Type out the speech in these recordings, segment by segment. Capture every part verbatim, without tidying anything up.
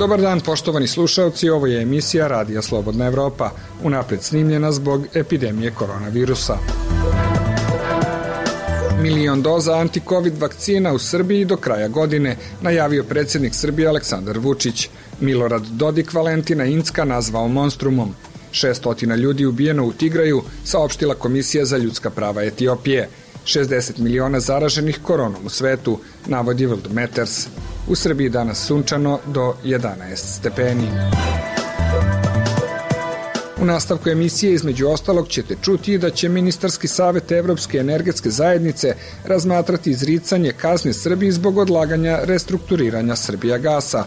Dobar dan, poštovani slušaoci, ovo je emisija Radija Slobodna Evropa, unapred snimljena zbog epidemije koronavirusa. Milion doza anti-covid vakcina u Srbiji do kraja godine, najavio predsjednik Srbije Aleksandar Vučić. Milorad Dodik Valentina Incka nazvao monstrumom. šeststotina ljudi ubijeno u Tigraju, saopštila Komisija za ljudska prava Etiopije. šezdeset miliona zaraženih koronom u svetu, navodi World Matters. U Srbiji danas sunčano do jedanaest stepeni. U nastavku emisije između ostalog ćete čuti da će Ministarski savet Evropske energetske zajednice razmatrati izricanje kazne Srbiji zbog odlaganja restrukturiranja Srbijagasa.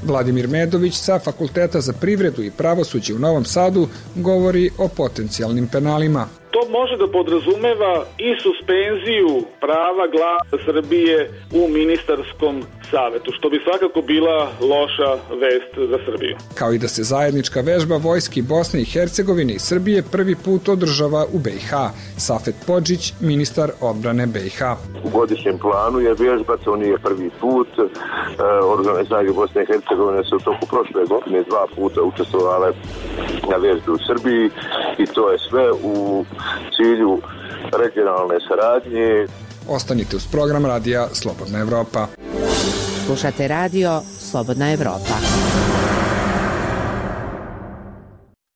Vladimir Medović sa Fakulteta za privredu i pravosuđe u Novom Sadu govori o potencijalnim penalima. To može da podrazumeva i suspenziju prava glasa Srbije u ministarskom savetu, što bi svakako bila loša vest za Srbiju. Kao i da se zajednička vežba vojski Bosne i Hercegovine i Srbije prvi put održava u B i H. Safet Podžić, ministar odbrane B i H. U godišnjem planu je vježba, to nije prvi put. Oružane snage Bosne i Hercegovine su u toku prošle godine dva puta učestvovale na vježbi u Srbiji i to je sve u cilju regionalne saradnje. Ostanite uz program Radija Slobodna Evropa. Slušate radio Slobodna Evropa.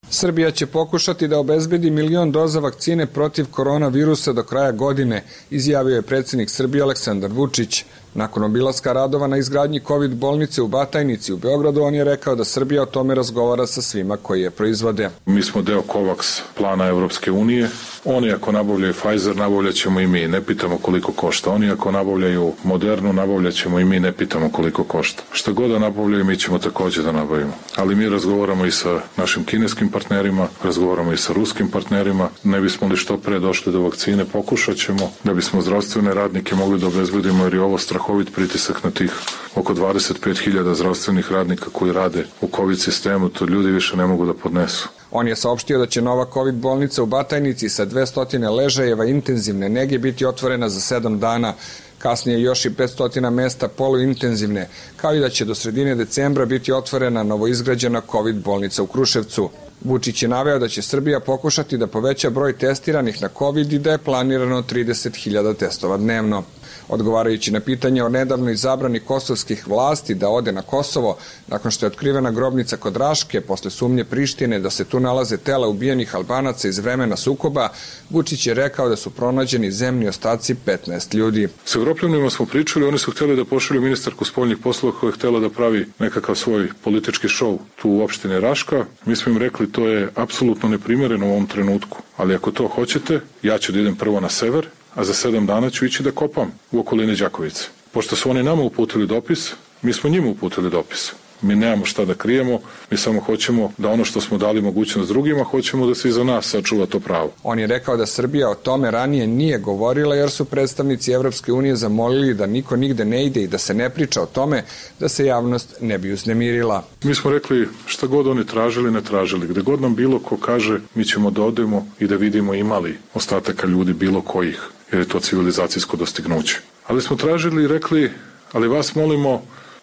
Srbija će pokušati da obezbedi milion doza vakcine protiv koronavirusa do kraja godine, izjavio je predsjednik Srbije Aleksandar Vučić. Nakon obilaska radova na izgradnji COVID bolnice u Batajnici u Beogradu, on je rekao da Srbija o tome razgovara sa svima koji je proizvode. Mi smo deo COVAX plana Evropske unije. Oni ako nabavljaju Pfizer, nabavljat ćemo i mi. Ne pitamo koliko košta. Oni ako nabavljaju Modernu, nabavljat ćemo i mi. Ne pitamo koliko košta. Šta god da nabavljaju, mi ćemo također da nabavimo. Ali mi razgovaramo i sa našim kineskim partnerima, razgovaramo i sa ruskim partnerima. Ne bismo li što pre došli do vakcine, pokušat ćemo da bismo zdravstvene radnike mogli da obezbedimo, jer je ovo strahovit pritisak na tih oko dvadeset pet hiljada zdravstvenih radnika koji rade u COVID sistemu. To ljudi više ne mogu da podnesu. On je saopštio da će nova COVID bolnica u Batajnici sa dvesta ležajeva intenzivne nege biti otvorena za sedam dana, kasnije još i petsto mesta poluintenzivne, kao i da će do sredine decembra biti otvorena novoizgrađena COVID bolnica u Kruševcu. Vučić je naveo da će Srbija pokušati da poveća broj testiranih na COVID i da je planirano trideset hiljada testova dnevno. Odgovarajući na pitanje o nedavnoj zabrani kosovskih vlasti da ode na Kosovo, nakon što je otkrivena grobnica kod Raške, posle sumnje Prištine da se tu nalaze tela ubijenih Albanaca iz vremena sukoba, Vučić je rekao da su pronađeni zemni ostaci petnaest ljudi. S Evropljanima smo pričali, oni su htjeli da pošalju ministarku spoljnih poslova koja je htjela da pravi nekakav svoj politički šou tu u opštini Raška. Mi smo im rekli to je apsolutno neprimjereno u ovom trenutku, ali ako to hoćete, ja ću da idem prvo na sever, a za sedam dana ću ići da kopam u okolini Đakovice. Pošto su oni nama uputili dopis, mi smo njima uputili dopis. Mi nemamo šta da krijemo, mi samo hoćemo da ono što smo dali mogućnost drugima, hoćemo da se i za nas sačuva to pravo. On je rekao da Srbija o tome ranije nije govorila jer su predstavnici Evropske unije zamolili da niko nigde ne ide i da se ne priča o tome da se javnost ne bi uznemirila. Mi smo rekli šta god oni tražili, ne tražili. Gde god nam bilo ko kaže, mi ćemo da odemo i da vidimo imali ostataka ljudi bilo kojih, jer je to civilizacijsko dostignuće. Ali smo tražili i rekli, ali vas molimo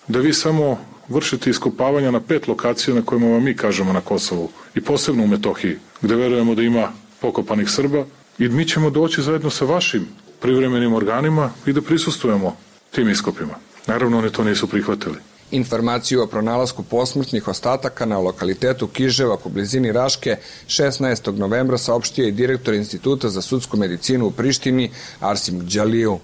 da vi samo vršiti iskopavanja na pet lokacija na kojima vam mi kažemo na Kosovu i posebno u Metohiji, gde verujemo da ima pokopanih Srba i mi ćemo doći zajedno sa vašim privremenim organima i da prisustujemo tim iskopima. Naravno, oni to nisu prihvatili. Informaciju o pronalasku posmrtnih ostataka na lokalitetu Kiževak u blizini Raške šesnaestog novembra saopštio je direktor Instituta za sudsku medicinu u Prištini Arsim Đaliju.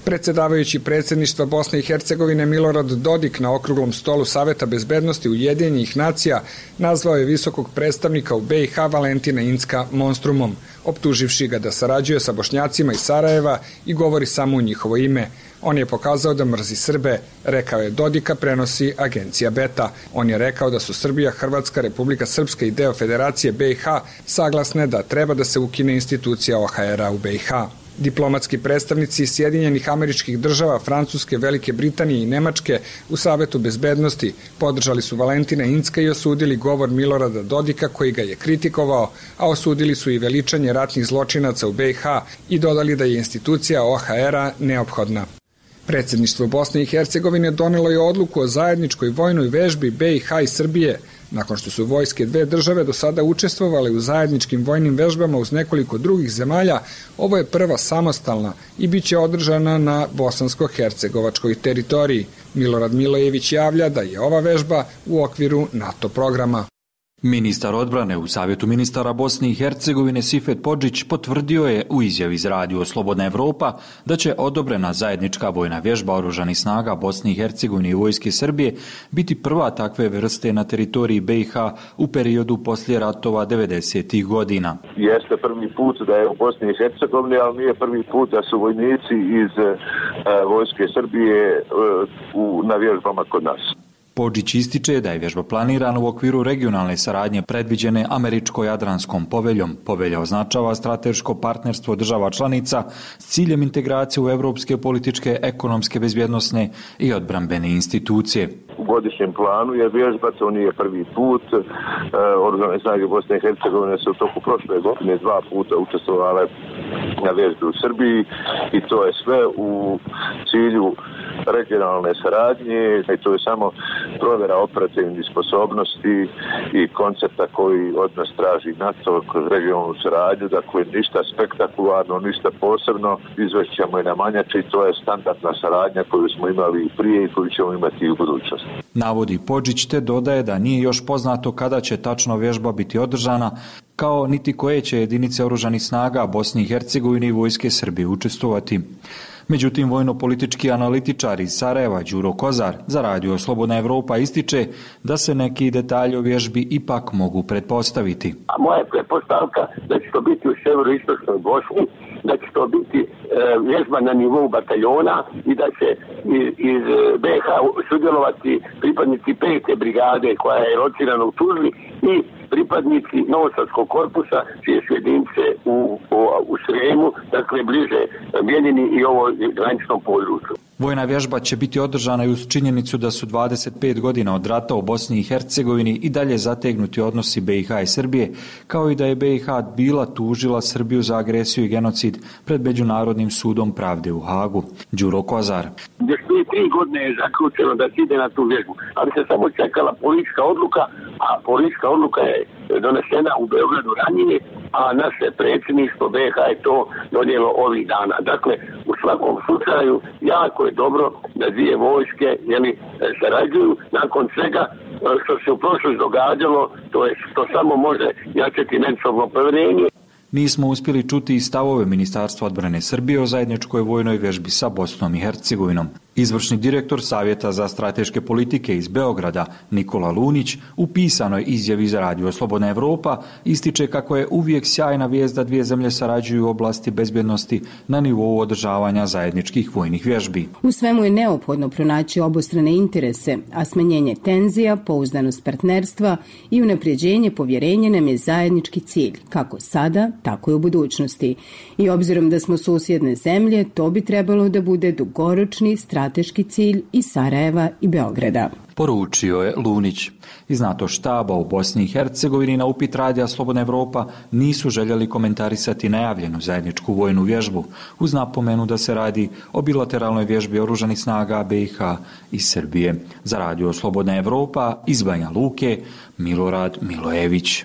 Predsedavajući predsjedništva Bosne i Hercegovine Milorad Dodik na okruglom stolu Saveta bezbednosti Ujedinjenih nacija nazvao je visokog predstavnika u B i H Valentina Incka monstrumom, optuživši ga da sarađuje sa Bošnjacima iz Sarajeva i govori samo u njihovo ime. On je pokazao da mrzi Srbe, rekao je Dodika, prenosi agencija Beta. On je rekao da su Srbija, Hrvatska, Republika Srpska i deo Federacije B i H saglasne da treba da se ukine institucija O H R-a u B i H. Diplomatski predstavnici Sjedinjenih Američkih Država, Francuske, Velike Britanije i Nemačke u Savetu bezbednosti podržali su Valentina Incka i osudili govor Milorada Dodika koji ga je kritikovao, a osudili su i veličanje ratnih zločinaca u B i H i dodali da je institucija O H R-a neophodna. Predsjedništvo Bosne i Hercegovine donelo je odluku o zajedničkoj vojnoj vežbi B i H i Srbije, nakon što su vojske dve države do sada učestvovale u zajedničkim vojnim vežbama uz nekoliko drugih zemalja. Ovo je prva samostalna i bit će održana na bosansko-hercegovačkoj teritoriji. Milorad Milojević javlja da je ova vežba u okviru NATO programa. Ministar odbrane u Savjetu ministara Bosne i Hercegovine Sifet Podžić potvrdio je u izjavi za radio Slobodna Evropa da će odobrena zajednička vojna vježba oružanih snaga Bosne i Hercegovine i vojske Srbije biti prva takve vrste na teritoriji B i H u periodu poslije ratova devedesetih godina. Jeste prvi put da je u Bosni i Hercegovini, ali nije prvi put da su vojnici iz e, vojske Srbije e, u, na vježbama kod nas. Podžić ističe da je vježba planirana u okviru regionalne saradnje predviđene Američko-Jadranskom poveljom. Povelja označava strateško partnerstvo država članica s ciljem integracije u evropske političke, ekonomske, bezbjednosne i odbrambene institucije. U godišnjem planu je vježba, to nije prvi put. E, Oružane snage Bosne i Hercegovine su u toku prošle godine dva puta učestvovale na vježbi u Srbiji i to je sve u cilju regionalne saradnje i to je samo provjera operativnih sposobnosti i koncepta koji od nas traži NATO kroz regionalnu saradnju, dakle ništa spektakularno, ništa posebno, izvešćamo i na manjači, to je standardna saradnja koju smo imali i prije i koju ćemo imati i u budućnosti. Navodi Podžić te dodaje da nije još poznato kada će tačno vježba biti održana, kao niti koje će jedinice oružanih snaga Bosne i Hercegovine i vojske Srbije učestvovati. Međutim, vojno-politički analitičar iz Sarajeva Đuro Kozar za radio Slobodna Evropa ističe da se neki detalji o vježbi ipak mogu pretpostaviti. A moja je pretpostavka da će to biti u severoistočnoj Bosni, da će to biti e, vježba na nivou bataljona i da će iz, iz B i H sudjelovati pripadnici pete brigade koja je locirana u Tuzli i pripadnici Novosadskog korpusa čije su jedinice u, u, u Sremu, dakle bliže Bijeljini i ovo graničnom području. Vojna vježba će biti održana i uz činjenicu da su dvadeset pet godina od rata u Bosni i Hercegovini i dalje zategnuti odnosi B i H i Srbije, kao i da je B i H bila tužila Srbiju za agresiju i genocid pred Međunarodnim sudom pravde u Hagu. Đuro Kozar. Još prije tri godine je zaključeno da se ide na tu vježbu, ali se samo čekala politička odluka, a politička odluka je donesena u Beogradu ranije, a naše predsjedništvo B i H je to donijelo ovih dana. Dakle, u svakom slučaju jako je dobro da dvije vojske jeli, sarađuju nakon svega što se u prošlosti događalo, to je što samo može jačati međusobno povjerenje. Nismo uspjeli čuti i stavove Ministarstva odbrane Srbije o zajedničkoj vojnoj vježbi sa Bosnom i Hercegovinom. Izvršni direktor Savjeta za strateške politike iz Beograda, Nikola Lunić, u pisanoj izjavi za radio Slobodna Evropa ističe kako je uvijek sjajna vijest da dvije zemlje sarađuju u oblasti bezbjednosti na nivou održavanja zajedničkih vojnih vježbi. U svemu je neophodno pronaći obostrane interese, a smanjenje tenzija, pouzdanost partnerstva i unapređenje povjerenja nam je zajednički cilj, kako sada, tako i u budućnosti. I obzirom da smo susjedne zemlje, to bi trebalo da bude dugoročni strateški cilj i Sarajeva i Beograda. Poručio je Lunić. Iz NATO štaba u Bosni i Hercegovini na upit radija Slobodna Evropa nisu željeli komentarisati najavljenu zajedničku vojnu vježbu, uz napomenu da se radi o bilateralnoj vježbi oružanih snaga B i H i Srbije. Za radio Slobodna Evropa iz Banja Luke, Milorad Milojević.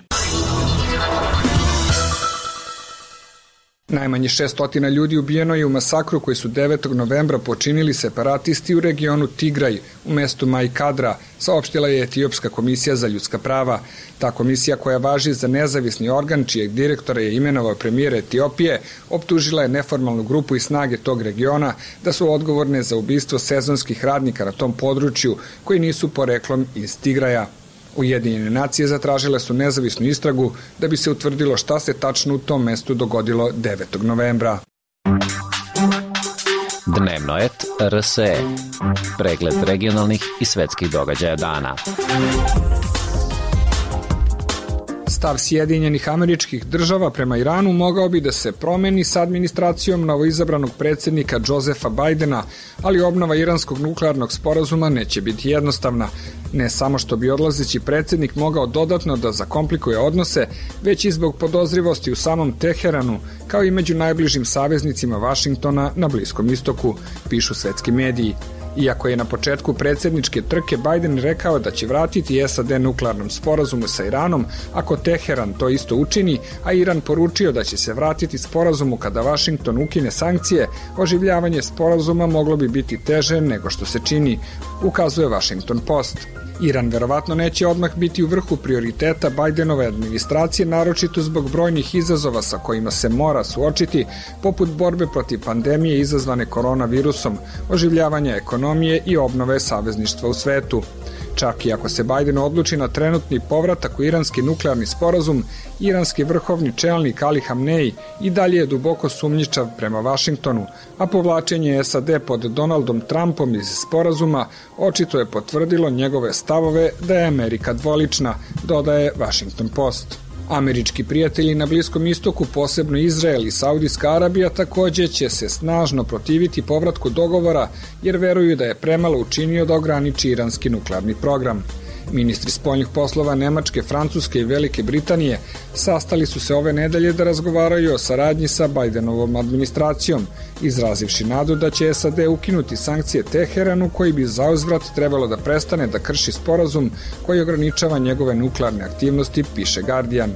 Najmanje šesnaest ljudi ubijeno je u masakru koji su devetog novembra počinili separatisti u regionu Tigraj u mestu Majkadra, saopštila je Etiopska komisija za ljudska prava. Ta komisija, koja važi za nezavisni organ čijeg direktora je imenovao premijer Etiopije, optužila je neformalnu grupu i snage tog regiona da su odgovorne za ubistvo sezonskih radnika na tom području koji nisu poreklom iz Tigraja. Ujedinjene nacije zatražile su nezavisnu istragu da bi se utvrdilo šta se tačno u tom mestu dogodilo devetog novembra. Dnevno et R S E. Pregled regionalnih i svetskih događaja dana. Stav Sjedinjenih Američkih Država prema Iranu mogao bi da se promeni sa administracijom novoizabranog predsjednika Josefa Bajdena, ali obnova iranskog nuklearnog sporazuma neće biti jednostavna. Ne samo što bi odlazeći predsjednik mogao dodatno da zakomplikuje odnose, već i zbog podozrivosti u samom Teheranu, kao i među najbližim saveznicima Vašingtona na Bliskom istoku, pišu svetski mediji. Iako je na početku predsjedničke trke Bajden rekao da će vratiti S A D nuklearnom sporazumu sa Iranom ako Teheran to isto učini, a Iran poručio da će se vratiti sporazumu kada Vašington ukine sankcije, oživljavanje sporazuma moglo bi biti teže nego što se čini, ukazuje Washington Post. Iran verovatno neće odmah biti u vrhu prioriteta Bajdenove administracije, naročito zbog brojnih izazova sa kojima se mora suočiti, poput borbe protiv pandemije izazvane koronavirusom, oživljavanja ekonomije i obnove savezništva u svetu. Čak i ako se Bajden odluči na trenutni povratak u iranski nuklearni sporazum, iranski vrhovni čelnik Ali Hamnej i dalje je duboko sumnjičav prema Vašingtonu, a povlačenje S A D pod Donaldom Trumpom iz sporazuma očito je potvrdilo njegove stavove da je Amerika dvolična, dodaje Washington Post. Američki prijatelji na Bliskom istoku, posebno Izrael i Saudijska Arabija, također će se snažno protiviti povratku dogovora jer veruju da je premalo učinio da ograniči iranski nuklearni program. Ministri spoljnih poslova Nemačke, Francuske i Velike Britanije sastali su se ove nedelje da razgovaraju o saradnji sa Bajdenovom administracijom, izrazivši nadu da će S A D ukinuti sankcije Teheranu koji bi zauzvrat trebalo da prestane da krši sporazum koji ograničava njegove nuklearne aktivnosti, piše Guardian.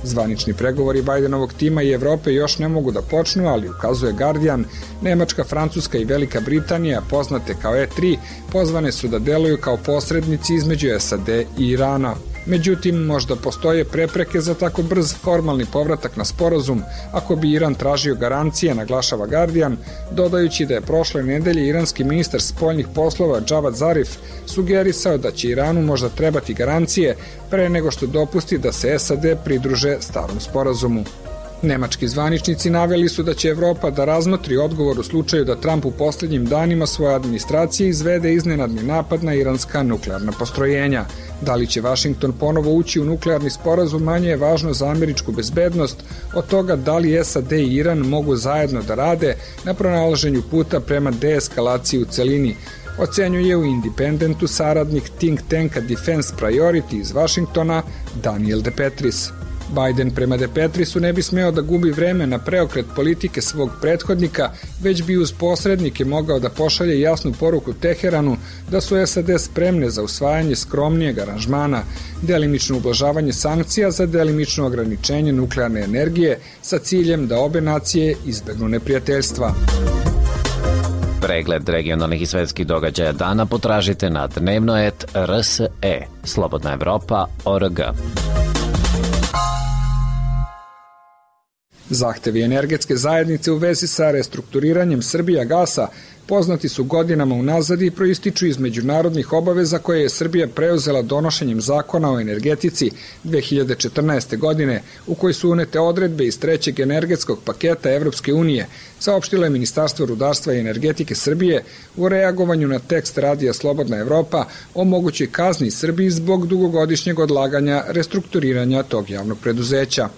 Zvanični pregovori Bajdenovog tima i Evrope još ne mogu da počnu, ali ukazuje Guardian, Nemačka, Francuska i Velika Britanija, poznate kao E tri, pozvane su da deluju kao posrednici između S A D i Irana. Međutim, možda postoje prepreke za tako brz formalni povratak na sporazum ako bi Iran tražio garancije, naglašava Guardian, dodajući da je prošle nedelje iranski ministar spoljnih poslova Javad Zarif sugerisao da će Iranu možda trebati garancije pre nego što dopusti da se S A D pridruže starom sporazumu. Nemački zvaničnici naveli su da će Evropa da razmotri odgovor u slučaju da Trump u posljednjim danima svoje administracije izvede iznenadni napad na iranska nuklearna postrojenja. Da li će Washington ponovo ući u nuklearni sporazum manje je važno za američku bezbednost od toga da li S A D i Iran mogu zajedno da rade na pronalaženju puta prema deeskalaciji u celini, ocenjuje u Independentu saradnik think tanka Defense Priority iz Vašingtona Daniel De Petris. Bajden prema De Petrisu ne bi smeo da gubi vreme na preokret politike svog prethodnika, već bi uz posrednike mogao da pošalje jasnu poruku Teheranu da su S A D spremne za usvajanje skromnijeg aranžmana, delimično ublažavanje sankcija za delimično ograničenje nuklearne energije sa ciljem da obe nacije izbegnu neprijateljstva. Pregled regionalnih i svetskih događaja dana potražite na dnevnoet R S E, Slobodna Evropa, O R G. Zahtevi energetske zajednice u vezi sa restrukturiranjem Srbijagasa poznati su godinama unazad i proističu iz međunarodnih obaveza koje je Srbija preuzela donošenjem zakona o energetici dve hiljade četrnaeste. godine, u koji su unete odredbe iz trećeg energetskog paketa Evropske unije, saopštilo je Ministarstvo rudarstva i energetike Srbije u reagovanju na tekst radija Slobodna Evropa o mogućoj kazni Srbiji zbog dugogodišnjeg odlaganja restrukturiranja tog javnog preduzeća.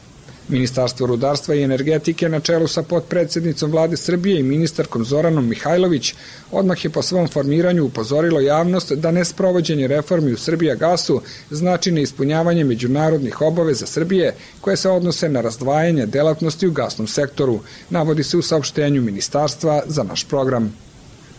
Ministarstvo rudarstva i energetike na čelu sa potpredsednicom vlade Srbije i ministarkom Zoranom Mihajlović odmah je po svom formiranju upozorilo javnost da nesprovođenje reformi u Srbijagasu znači neispunjavanje međunarodnih obaveza Srbije koje se odnose na razdvajanje delatnosti u gasnom sektoru, navodi se u saopštenju ministarstva za naš program.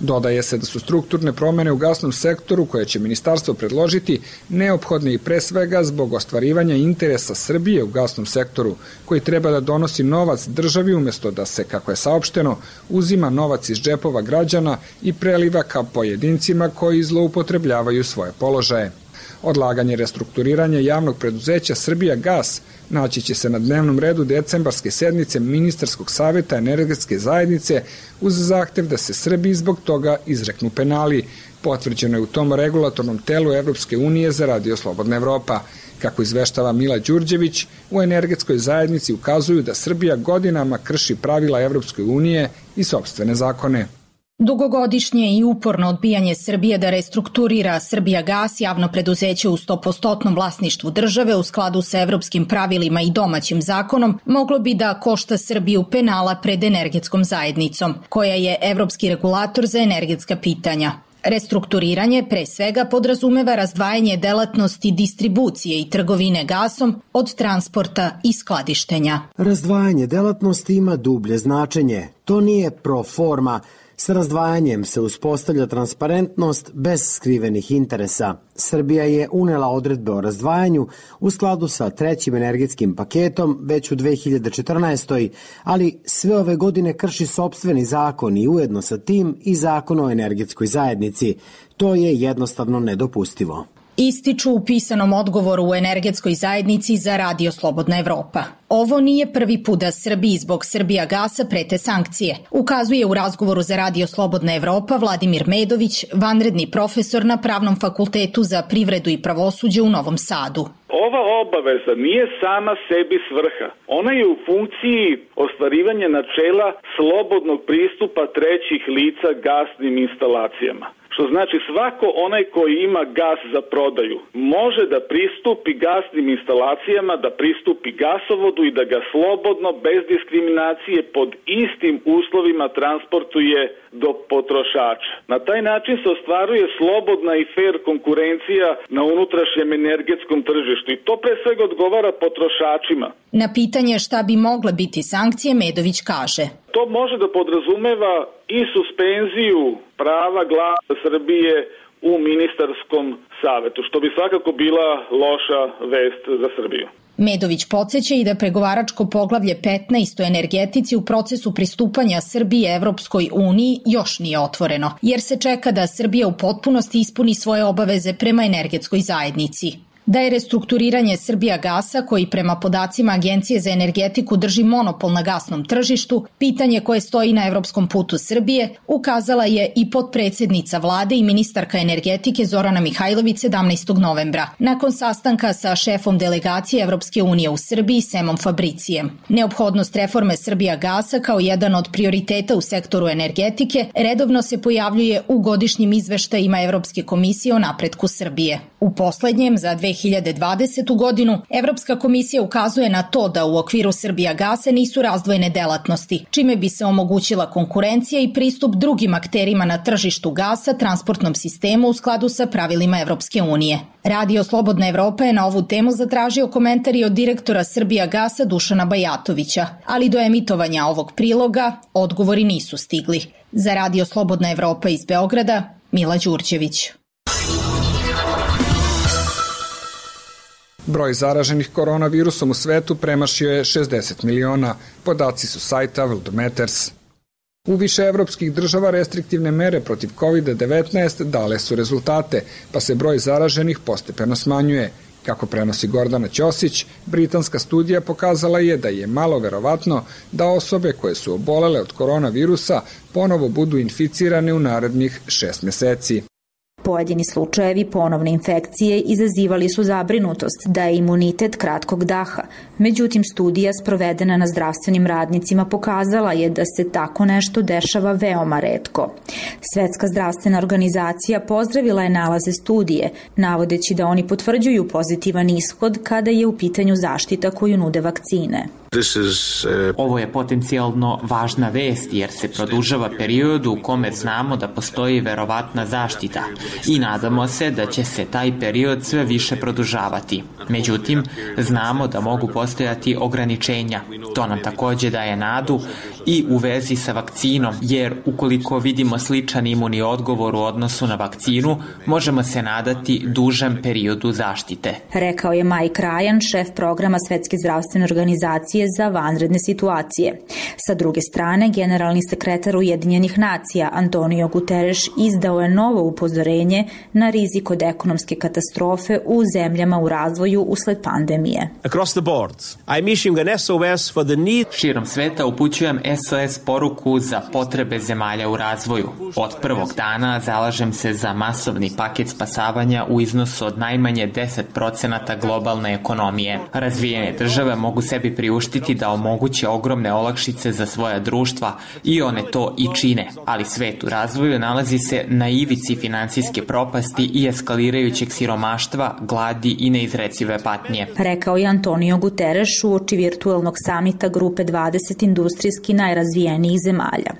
Dodaje se da su strukturne promene u gasnom sektoru koje će ministarstvo predložiti neophodne i pre svega zbog ostvarivanja interesa Srbije u gasnom sektoru, koji treba da donosi novac državi umjesto da se, kako je saopšteno, uzima novac iz džepova građana i preliva ka pojedincima koji zloupotrebljavaju svoje položaje. Odlaganje restrukturiranja javnog preduzeća Srbijagas naći će se na dnevnom redu decembarske sednice Ministarskog saveta energetske zajednice uz zahtev da se Srbiji zbog toga izreknu penali. Potvrđeno je u tom regulatornom telu Evropske unije za Radio Slobodna Evropa. Kako izveštava Mila Đurđević, u energetskoj zajednici ukazuju da Srbija godinama krši pravila Evropske unije i sopstvene zakone. Dugogodišnje i uporno odbijanje Srbije da restrukturira Srbijagas, javno preduzeće u sto posto vlasništvu države u skladu sa evropskim pravilima i domaćim zakonom, moglo bi da košta Srbiju penala pred energetskom zajednicom, koja je evropski regulator za energetska pitanja. Restrukturiranje pre svega podrazumeva razdvajanje delatnosti distribucije i trgovine gasom od transporta i skladištenja. Razdvajanje delatnosti ima dublje značenje. To nije pro forma. S razdvajanjem se uspostavlja transparentnost bez skrivenih interesa. Srbija je unela odredbe o razdvajanju u skladu sa trećim energetskim paketom već u dve hiljade četrnaestoj. ali sve ove godine krši sopstveni zakon i ujedno sa tim i zakon o energetskoj zajednici. To je jednostavno nedopustivo. Ističu u pisanom odgovoru u energetskoj zajednici za Radio Slobodna Evropa. Ovo nije prvi put da Srbiji zbog Srbijagasa prete sankcije, ukazuje u razgovoru za Radio Slobodna Evropa Vladimir Medović, vanredni profesor na Pravnom fakultetu za privredu i pravosuđe u Novom Sadu. Ova obaveza nije sama sebi svrha. Ona je u funkciji ostvarivanja načela slobodnog pristupa trećih lica gasnim instalacijama. Što znači svako onaj koji ima gas za prodaju može da pristupi gasnim instalacijama, da pristupi gasovodu i da ga slobodno, bez diskriminacije, pod istim uslovima transportuje do potrošača. Na taj način se ostvaruje slobodna i fair konkurencija na unutrašnjem energetskom tržištu i to pre svega odgovara potrošačima. Na pitanje šta bi mogle biti sankcije, Medović kaže: To može da podrazumeva i suspenziju prava glasa Srbije u ministarskom savetu, što bi svakako bila loša vest za Srbiju. Medović podsjeća i da pregovaračko poglavlje petnaest o energetici u procesu pristupanja Srbije Evropskoj uniji još nije otvoreno, jer se čeka da Srbija u potpunosti ispuni svoje obaveze prema energetskoj zajednici. Da je restrukturiranje Srbijagasa, koji prema podacima Agencije za energetiku drži monopol na gasnom tržištu, pitanje koje stoji na evropskom putu Srbije, ukazala je i potpredsednica vlade i ministarka energetike Zorana Mihajlović sedamnaestog novembra, nakon sastanka sa šefom delegacije Evropske unije u Srbiji Semom Fabricijem. Neophodnost reforme Srbijagasa kao jedan od prioriteta u sektoru energetike redovno se pojavljuje u godišnjim izveštajima Evropske komisije o napretku Srbije. U poslednjem, za dve hiljade dvadesetu godinu, Evropska komisija ukazuje na to da u okviru Srbijagasa nisu razdvojene delatnosti, čime bi se omogućila konkurencija i pristup drugim akterima na tržištu gasa, transportnom sistemu u skladu sa pravilima Evropske unije. Radio Slobodna Evropa je na ovu temu zatražio komentari od direktora Srbijagasa Dušana Bajatovića, ali do emitovanja ovog priloga odgovori nisu stigli. Za Radio Slobodna Evropa iz Beograda, Mila Đurđević. Broj zaraženih koronavirusom u svetu premašio je šezdeset miliona, podaci su sajta World Matters. U više evropskih država restriktivne mere protiv kovid devetnaest dale su rezultate, pa se broj zaraženih postepeno smanjuje. Kako prenosi Gordana Ćosić, britanska studija pokazala je da je malo verovatno da osobe koje su obolele od koronavirusa ponovo budu inficirane u narednih šest meseci. Pojedini slučajevi ponovne infekcije izazivali su zabrinutost da je imunitet kratkog daha. Međutim, studija sprovedena na zdravstvenim radnicima pokazala je da se tako nešto dešava veoma retko. Svetska zdravstvena organizacija pozdravila je nalaze studije, navodeći da oni potvrđuju pozitivan ishod kada je u pitanju zaštita koju nude vakcine. Ovo je potencijalno važna vest jer se produžava period u kome znamo da postoji verovatna zaštita i nadamo se da će se taj period sve više produžavati. Međutim, znamo da mogu postojati ograničenja. To nam takođe daje nadu i u vezi sa vakcinom, jer ukoliko vidimo sličan imunni odgovor u odnosu na vakcinu, možemo se nadati dužem periodu zaštite. Rekao je Mike Ryan, šef programa Svetske zdravstvene organizacije za vanredne situacije. Sa druge strane, generalni sekretar Ujedinjenih nacija Antonio Guterres izdao je novo upozorenje na rizik od ekonomske katastrofe u zemljama u razvoju izbijaju usled pandemije. Across the board, I'm issuing an S O S for the need. Širom sveta upućujem S O S poruku za potrebe zemalja u razvoju. Od prvog dana zalažem se za masovni paket spasavanja u iznosu od najmanje deset procenata globalne ekonomije. Razvijene države mogu sebi priuštiti da omoguće ogromne olakšice za svoja društva i one to i čine, ali svet u razvoju nalazi se na ivici finansijske propasti i eskalirajućeg siromaštva, gladi i neizrecive patnje. Rekao je Antonio Guterres uoči virtuelnog samita Grupe dvadeset industrijski najrazvijenijih zemalja.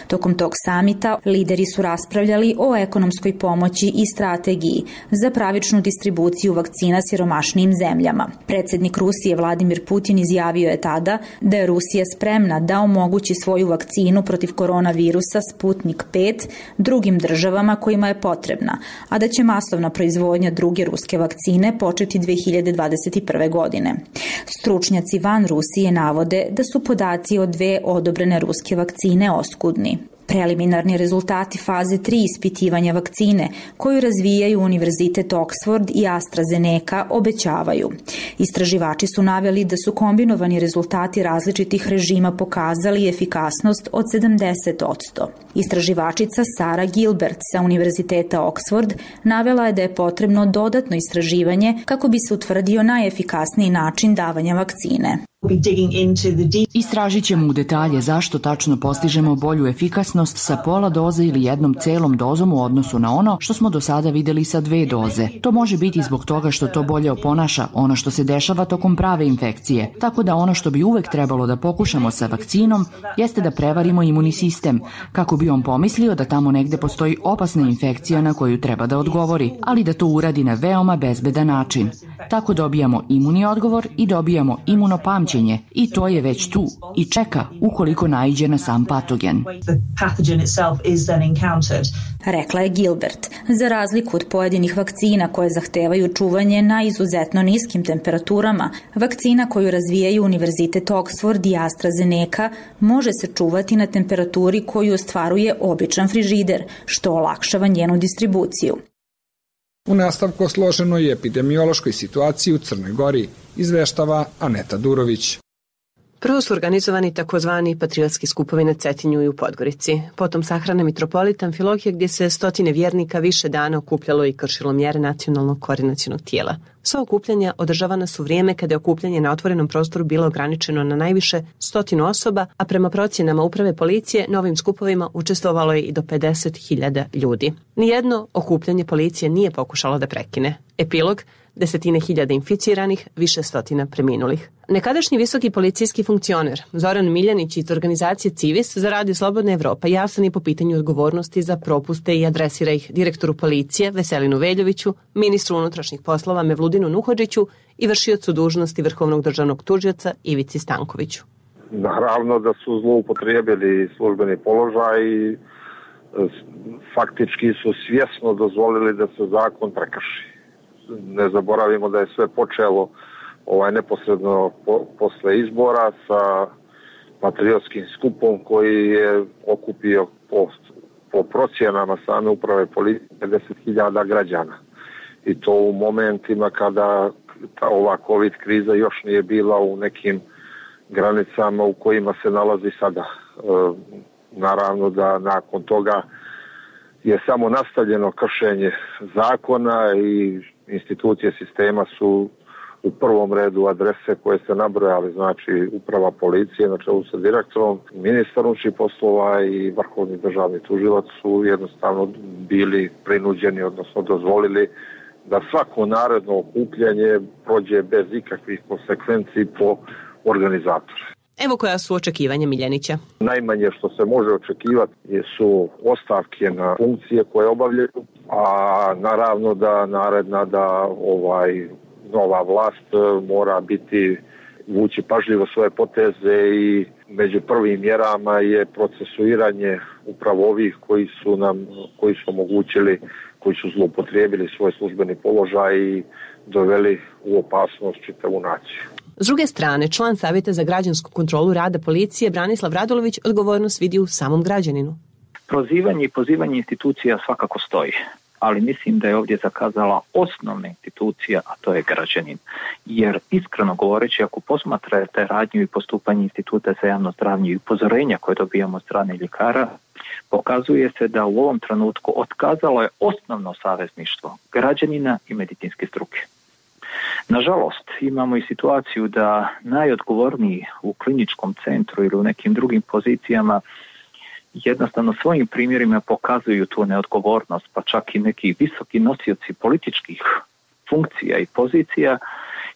Tokom tog samita lideri su raspravljali o ekonomskoj pomoći i strategiji za pravičnu distribuciju vakcina siromašnijim zemljama. Predsjednik Rusije Vladimir Putin izjavio je tada da je Rusija spremna da omogući svoju vakcinu protiv koronavirusa Sputnik pet drugim državama kojima je potrebna, a da će masovna proizvodnja druge ruske vakcine početi dve hiljade dvadeset prve. godine. Stručnjaci van Rusije navode da su podaci o dve odobrene ruske vakcine oskudni. Preliminarni rezultati faze tri ispitivanja vakcine, koju razvijaju Univerzitet Oxford i AstraZeneca, obećavaju. Istraživači su naveli da su kombinovani rezultati različitih režima pokazali efikasnost od sedamdeset posto. Istraživačica Sara Gilbert sa Univerziteta Oxford navela je da je potrebno dodatno istraživanje kako bi se utvrdio najefikasniji način davanja vakcine. Istražit ćemo u detalje zašto tačno postižemo bolju efikasnost sa pola doze ili jednom celom dozom u odnosu na ono što smo do sada videli sa dve doze. To može biti zbog toga što to bolje oponaša ono što se dešava tokom prave infekcije. Tako da ono što bi uvek trebalo da pokušamo sa vakcinom jeste da prevarimo imunni sistem, kako bi on pomislio da tamo negde postoji opasna infekcija na koju treba da odgovori, ali da to uradi na veoma bezbedan način. Tako dobijamo imunni odgovor i dobijamo imunopamćenje i to je već tu i čeka ukoliko naiđe na sam patogen. Rekla je Gilbert. Za razliku od pojedinih vakcina koje zahtevaju čuvanje na izuzetno niskim temperaturama, vakcina koju razvijaju Univerzitet Oxford i AstraZeneca može se čuvati na temperaturi koju ostvaruje običan frižider, što olakšava njenu distribuciju. U nastavku o složenoj epidemiološkoj situaciji u Crnoj Gori izveštava Aneta Durović. Prvo su organizovani takozvani patriotski skupovi na Cetinju i u Podgorici. Potom sahrana mitropolita Amfilohije gdje se stotine vjernika više dana okupljalo i kršilo mjere nacionalnog koordinacionog tijela. Sva okupljanja održavana su vrijeme kada je okupljanje na otvorenom prostoru bilo ograničeno na najviše stotinu osoba, a prema procjenama uprave policije na ovim skupovima učestvovalo je i do pedeset hiljada ljudi. Nijedno okupljanje policije nije pokušalo da prekine. Epilog: desetine hiljada inficiranih, više stotina preminulih. Nekadašnji visoki policijski funkcioner Zoran Miljanić iz organizacije Civis za Radio Slobodna Evropa jasan je po pitanju odgovornosti za propuste i adresira ih direktoru policije Veselinu Veljoviću, ministru unutrašnjih poslova Mevludinu Nuhodžiću i vršiocu dužnosti Vrhovnog državnog tužioca Ivici Stankoviću. Naravno da su zloupotrijebili službeni položaj i faktički su svjesno dozvolili da se zakon prekrši. Ne zaboravimo da je sve počelo ovaj neposredno po, posle izbora sa patriotskim skupom koji je okupio po, po procjenama same uprave policije pedeset hiljada građana. I to u momentima kada ta, ova COVID kriza još nije bila u nekim granicama u kojima se nalazi sada. E, naravno da nakon toga je samo nastavljeno kršenje zakona i institucije sistema su u prvom redu adrese koje ste nabrojali, znači uprava policije na čelu sa direktorom, ministar unutrašnjih poslova i vrhovni državni tužilac su jednostavno bili prinuđeni, odnosno dozvolili da svako naredno okupljanje prođe bez ikakvih konsekvenci po organizatore. Evo koja su očekivanja Miljanića. Najmanje što se može očekivati su ostavke na funkcije koje obavljaju, a naravno da naredna da ovaj nova vlast mora biti vući pažljivo svoje poteze i među prvim mjerama je procesuiranje upravo ovih koji su nam koji su omogućili, koji su zloupotrijebili svoj službeni položaj i doveli u opasnost čitavu naciju. S druge strane, član Savjeta za građansku kontrolu rada policije Branislav Radulović odgovornost vidi u samom građaninu. Prozivanje i pozivanje institucija svakako stoji. ali mislim da je ovdje zakazala osnovna institucija, a to je građanin. Jer iskreno govoreći, ako posmatrate radnju i postupanje Instituta za javno zdravlje i upozorenja koje dobijamo od strane ljekara, pokazuje se da u ovom trenutku otkazalo je osnovno savezništvo građanina i medicinske struke. Nažalost, imamo i situaciju da najodgovorniji u kliničkom centru ili u nekim drugim pozicijama jednostavno svojim primjerima pokazuju tu neodgovornost, pa čak i neki visoki nosioci političkih funkcija i pozicija.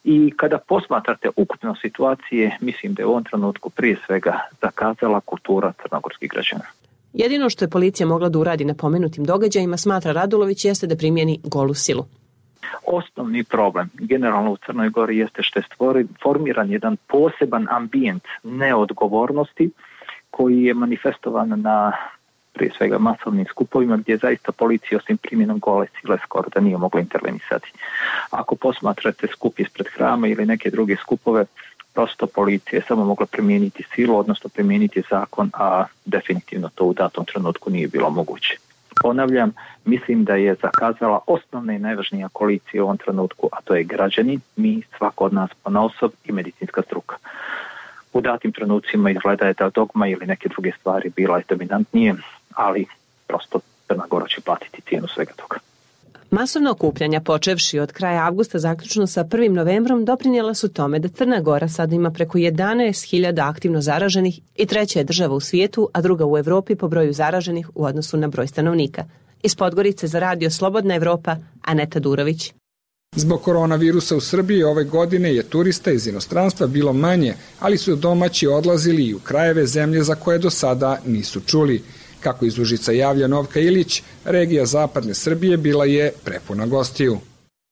I kada posmatrate ukupno situacije, mislim da je u ovom trenutku prije svega zakazala kultura crnogorskih građana. Jedino što je policija mogla da uradi na pomenutim događajima, smatra Radulović, jeste da primjeni golu silu. Osnovni problem generalno u Crnoj Gori jeste što je stvori, formiran jedan poseban ambijent neodgovornosti koji je manifestovan na prije svega masovnim skupovima gdje zaista policija osim primjenom gole sile skoro da nije mogla intervenisati. Ako posmatrate skup ispred hrama ili neke druge skupove, prosto policija je samo mogla primijeniti silu, odnosno primijeniti zakon, a definitivno to u datom trenutku nije bilo moguće. Ponavljam, mislim da je zakazala osnovna i najvažnija koalicija u ovom trenutku, a to je građani, mi, svako od nas ponaosob i medicinska struka. U datim trenucima izgleda je da dogma ili neke druge stvari bila je dominantnije, ali prosto Crna Gora će platiti cijenu svega toga. Masovna okupljanja, počevši od kraja avgusta zaključno sa prvim novembrom, doprinijela su tome da Crna Gora sada ima preko jedanaest hiljada aktivno zaraženih i treća je država u svijetu, a druga u Evropi po broju zaraženih u odnosu na broj stanovnika. Iz Podgorice za radio Slobodna Evropa, Aneta Durović. Zbog koronavirusa u Srbiji ove godine je turista iz inostranstva bilo manje, ali su domaći odlazili i u krajeve zemlje za koje do sada nisu čuli. Kako iz Užica javlja Novka Ilić, regija zapadne Srbije bila je prepuna gostiju.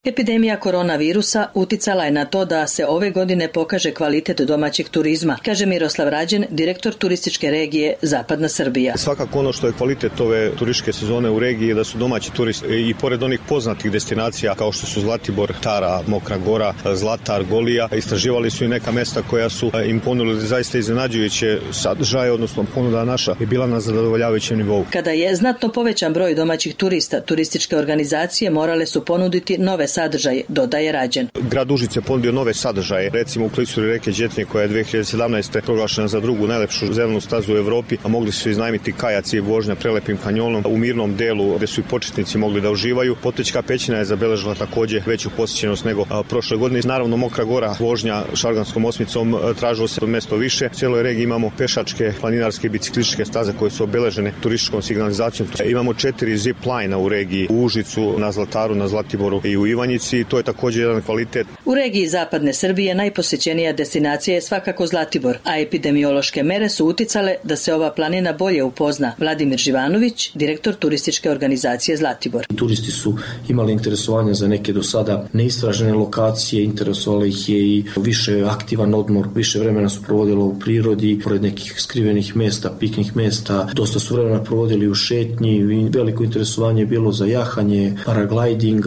Epidemija koronavirusa uticala je na to da se ove godine pokaže kvalitet domaćeg turizma, kaže Miroslav Rađen, direktor turističke regije Zapadna Srbija. Svakako ono što je kvalitet ove turističke sezone u regiji je da su domaći turisti i pored onih poznatih destinacija kao što su Zlatibor, Tara, Mokra Gora, Zlatar, Golija, istraživali su i neka mesta koja su im ponudili zaista iznenađujuće sadržaje, odnosno ponuda naša je bila na zadovoljavajućem nivou. Kada je znatno povećan broj domaćih turista, turističke organizacije morale su ponuditi nove sadržaje, dodaje Rađen. Grad Užice je ponudio nove sadržaje, recimo u klisuri reke Đetnje koja je dve hiljade sedamnaeste. proglašena za drugu najlepšu zelenu stazu u Evropi, a mogli su iznajmiti kajaci i vožnja prelepim kanjonom u mirnom delu gdje su i početnici mogli da uživaju. Potečka pećina je zabeležila također veću posjećenost nego a, prošle godine. Naravno Mokra Gora, vožnja šarganskom osmicom, tražilo se mesto više. U cijeloj regiji imamo pešačke, planinarske i biciklističke staze koje su obeležene turističkom signalizacijom. Imamo četiri zip line u regiji, u Užicu, na Zlataru, na Zlatiboru i u Ivanjici. To je također jedan kvalitet. U regiji Zapadne Srbije najposjećenija destinacija je svakako Zlatibor, a epidemiološke mere su uticale da se ova planina bolje upozna. Vladimir Živanović, direktor turističke organizacije Zlatibor. Turisti su imali interesovanja za neke do sada neistražene lokacije, interesovalo ih je i više aktivan odmor, više vremena su provodilo u prirodi, pored nekih skrivenih mesta, piknih mesta, dosta su vremena provodili u šetnji, veliko interesovanje je bilo za jahanje, paragliding,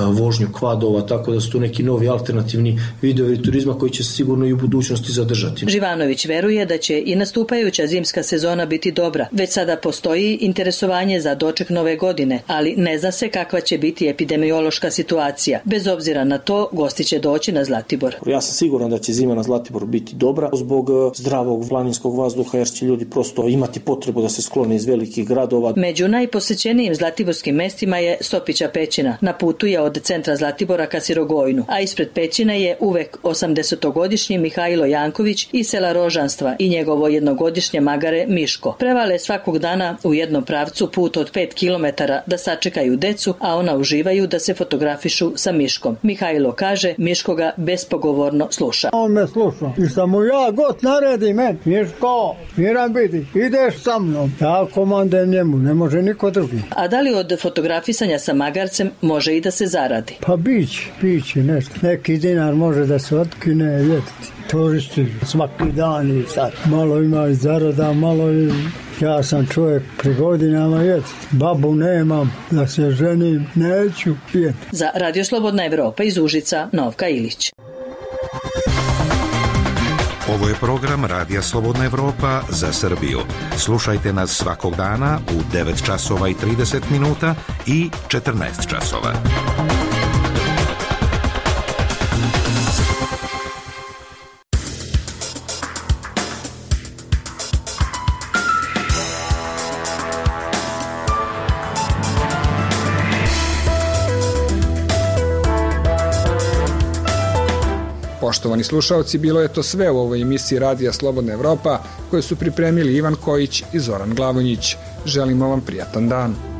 vožnju kvadova, tako da su tu neki novi alternativni vidovi turizma koji će se sigurno i u budućnosti zadržati. Živanović veruje da će i nastupajuća zimska sezona biti dobra. Već sada postoji interesovanje za doček nove godine, ali ne zna se kakva će biti epidemiološka situacija. Bez obzira na to, gosti će doći na Zlatibor. Ja sam siguran da će zima na Zlatiboru biti dobra zbog zdravog planinskog vazduha, jer će ljudi prosto imati potrebu da se sklone iz velikih gradova. Među najposećenijim zlatiborskim mestima je Stopića pećina. Na putu je od centra Zlatibora ka Sirogojnu, a ispred pećine je uvek osamdesetogodišnji Mihajlo Janković iz sela Rožanstva i njegovo jednogodišnje magare Miško. Prevale svakog dana u jednom pravcu put od pet kilometara da sačekaju decu, a ona uživaju da se fotografišu sa Miškom. Mihajlo kaže, Miško ga bespogovorno sluša. On me sluša i samo ja god naredi men, Miško, miran biti, ideš sa mnom. Ja komandem njemu, ne može niko drugi. A da li od fotografisanja sa magarcem može i da se zaradi? Pa biće, biće nešto. Neki dinar može da se otkine, vidjeti. Turisti svaki dan i sad. Malo ima i zarada, malo i... Ja sam čovjek pri godinama, jeti. Babu nemam, da se ženim, neću, jeti. Za Radio Slobodna Evropa iz Užica, Novka Ilić. Ovo je program Radija Slobodna Evropa za Srbiju. Slušajte nas svakog dana u devet časova i trideset minuta i četrnaest časova. Poštovani slušaoci, bilo je to sve u ovoj emisiji Radija Slobodna Evropa koje su pripremili Ivan Kojić i Zoran Glavonjić. Želimo vam prijatan dan.